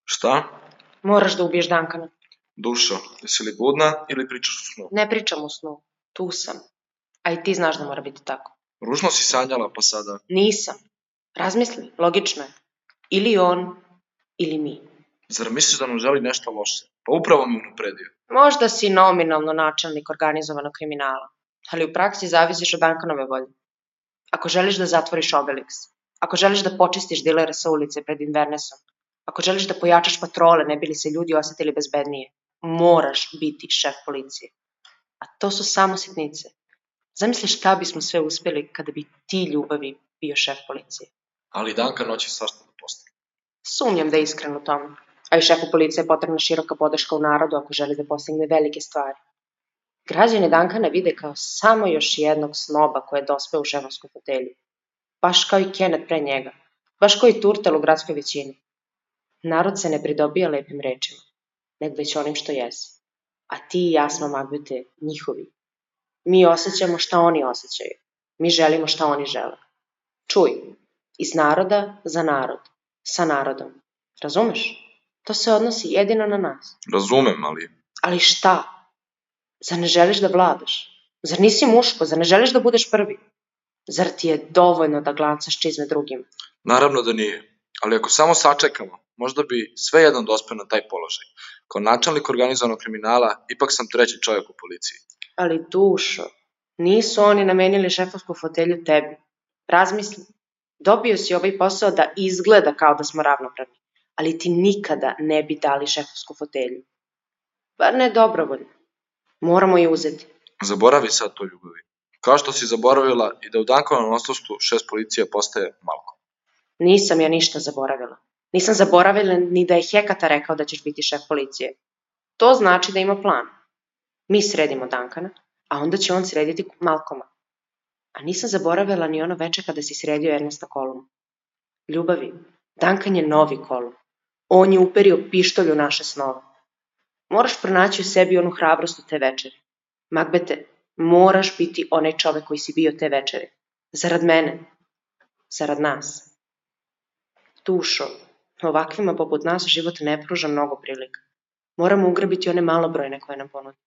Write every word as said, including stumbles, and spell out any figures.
Šta? Moraš da ubiješ Dankana. Dušo, jesi li budna ili pričaš u snu? Ne pričam u snu. Tu sam. A i ti znaš da mora biti tako. Ružno si sanjala, pa sada... Nisam. Razmisli, logično je. Ili on, ili mi. Zar misliš da nam želi nešto loše? Pa upravo mi unapredio. Možda si nominalno načelnik organizovanog kriminala, ali u praksi zavisiš od Dankanove volje. Ako želiš da zatvoriš Obelix, ako želiš da počistiš dilere sa ulice pred Invernesom, ako želiš da pojačaš patrole ne bi li se ljudi osetili bezbednije, moraš biti šef policije. A to su samo sitnice. Zamisli šta bismo sve uspjeli kada bi ti, Ljubavi, bio šef policije. Ali Duncan hoće svašta da postane. Sumnjam da je iskren u tome. A i šefu policije je potrebna široka podrška u narodu ako želi da postigne velike stvari. Građani Dankana vide kao samo još jednog snoba koji je dospeo u šefovsku fotelju. Baš kao i Kenneth pre njega. Baš kao i Turtel u gradskoj većini. Narod se ne pridobija lepim rečima, nego već onim što jesi. A ti i ja smo, Magbete, njihovi. Mi osjećamo šta oni osjećaju. Mi želimo šta oni žele. Čuj, iz naroda za narod, sa narodom. Razumeš? To se odnosi jedino na nas. Razumem, ali... Ali šta? Zar ne želiš da vladaš? Zar nisi muško? Zar ne želiš da budeš prvi? Zar ti je dovoljno da glancaš čizme drugim? Naravno da nije. Ali ako samo sačekamo, možda bi sve jednom dospeo na taj položaj. Kao načelnik organizovanog kriminala, ipak sam treći čovjek u policiji. Ali Dušo, nisu oni namenili šefovsku fotelju tebi. Razmisli, dobio si ovaj posao da izgleda kao da smo ravnopravni, ali ti nikada ne bi dali šefovsku fotelju. Bar ne dobrovoljno. Moramo je uzeti. Zaboravi sad to, Ljubavi. Kao što si zaboravila i da u Dankovom odsustvu šef policije postaje Malko. Nisam ja ništa zaboravila. Nisam zaboravila ni da je Hekata rekao da ćeš biti šef policije. To znači da ima plan. Mi sredimo Dankana, a onda će on srediti Malkoma. A nisam zaboravila ni ono veče kada si sredio Ernesta Koluma. Ljubavi, Dankan je novi Kolum. On je uperio pištolj u naše snove. Moraš pronaći u sebi onu hrabrost u te večeri. Magbete, moraš biti onaj čovek koji si bio te večeri. Zarad mene. Zarad nas. Dušo, ovakvima poput nas život ne pruža mnogo prilika. Moramo ugrabiti one malobrojne koje nam ponude.